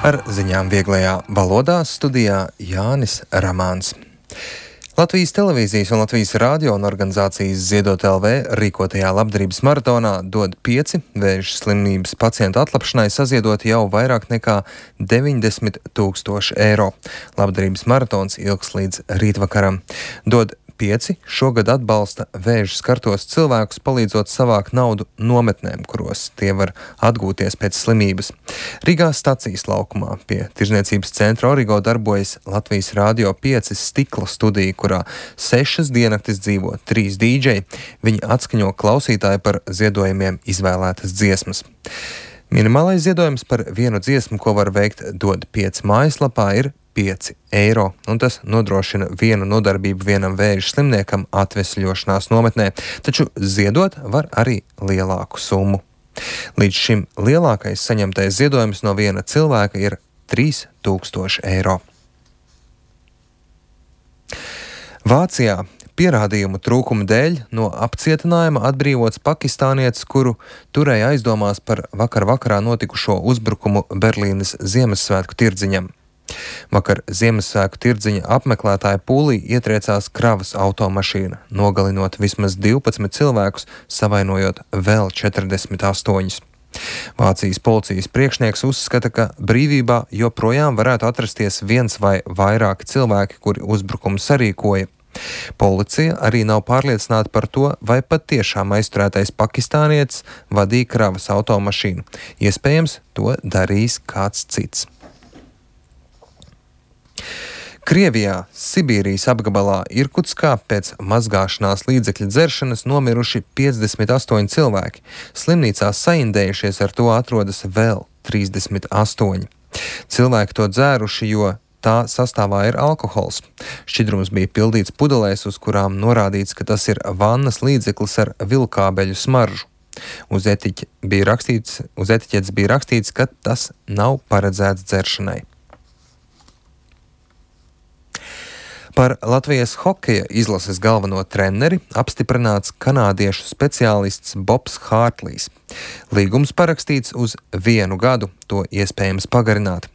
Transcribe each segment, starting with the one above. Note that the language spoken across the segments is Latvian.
Ar ziņām vieglajā valodā studijā Jānis Ramāns. Latvijas televīzijas un Latvijas radio un organizācijas Ziedot LV rīkotajā labdarības maratonā dod 5 vēža slimības pacientu atlapšanai saziedot jau vairāk nekā 90 000 eiro. Labdarības maratons ilgs līdz rītvakaram. Dod 5 šogad atbalsta vēža skartos cilvēkus, palīdzot savākt naudu nometnēm, kuros tie var atgūties pēc slimības. Rīgā stacijas laukumā pie Tirzniecības centra Origo darbojas Latvijas Radio 5 stikla studija, kurā 6 diennaktis dzīvo 3 dīdžeji. Viņi atskaņo klausītāju par ziedojumiem izvēlētas dziesmas. Minimālais ziedojums par vienu dziesmu, ko var veikt Dod 5 mājaslapā, ir 5 eiro, un tas nodrošina vienu nodarbību vienam vēža slimniekam atvesļošanās nometnē, taču ziedot var arī lielāku summu. Līdz šim lielākais saņemtais ziedojums no viena cilvēka ir 3000 eiro. Vācijā pierādījumu trūkuma dēļ no apcietinājuma atbrīvots pakistānietis, kuru turēja aizdomās par vakarā notikušo uzbrukumu Berlīnes Ziemassvētku tirdziņam. Vakar Ziemassvētku tirdziņa apmeklētāja pūlī ietriecās kravas automašīna, nogalinot vismaz 12 cilvēkus, savainojot vēl 48. Vācijas policijas priekšnieks uzskata, ka brīvībā joprojām varētu atrasties viens vai vairāki cilvēki, kuri uzbrukumu sarīkoja. Policija arī nav pārliecināta par to, vai patiešām aizturētais pakistānietis vadīja kravas automašīnu. Iespējams, to darīs kāds cits. Krievijā, Sibīrijas apgabalā Irkutskā pēc mazgāšanās līdzekļu dzeršanas nomiruši 58 cilvēki. Slimnīcā saindējušies ar to atrodas vēl 38. Cilvēki to dzēruši, jo tā sastāvā ir alkohols. Šķidrums bija pildīts pudelēs, uz kurām norādīts, ka tas ir vannas līdzeklis ar vilkābeļu smaržu. Uz etiķetes bija rakstīts, ka tas nav paredzēts dzeršanai. Par Latvijas hokeja izlases galveno treneri apstiprināts kanādiešu speciālists Bobs Hārtlīs. Līgums parakstīts uz 1 gadu, to iespējams pagarināt.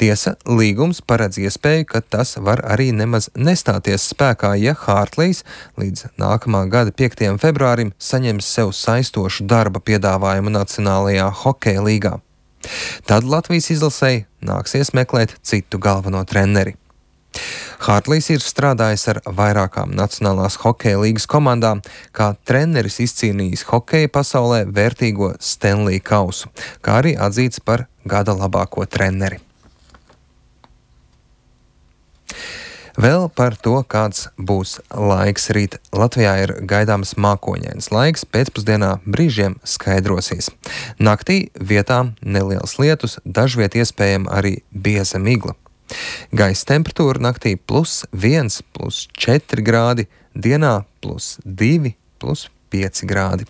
Tiesa, līgums paredz iespēju, ka tas var arī nemaz nestāties spēkā, ja Hārtlīs līdz nākamā gada 5. februārim saņems sev saistošu darba piedāvājumu Nacionālajā hokeja līgā. Tad Latvijas izlasei nāksies meklēt citu galveno treneri. Hārtlīs ir strādājis ar vairākām Nacionālās hokeja līgas komandām, kā treneris izcīnījis hokeja pasaulē vērtīgo Stanley kausu, kā arī atzīts par gada labāko treneri. Vēl par to, kāds būs laiks rīt. Latvijā ir gaidāms mākoņains laiks, pēcpusdienā brīžiem skaidrosies. Naktī vietām neliels lietus, dažviet iespējama arī bieza migla. Gaisa temperatūra naktī +1, +4 grādi, dienā +2, +5 grādi.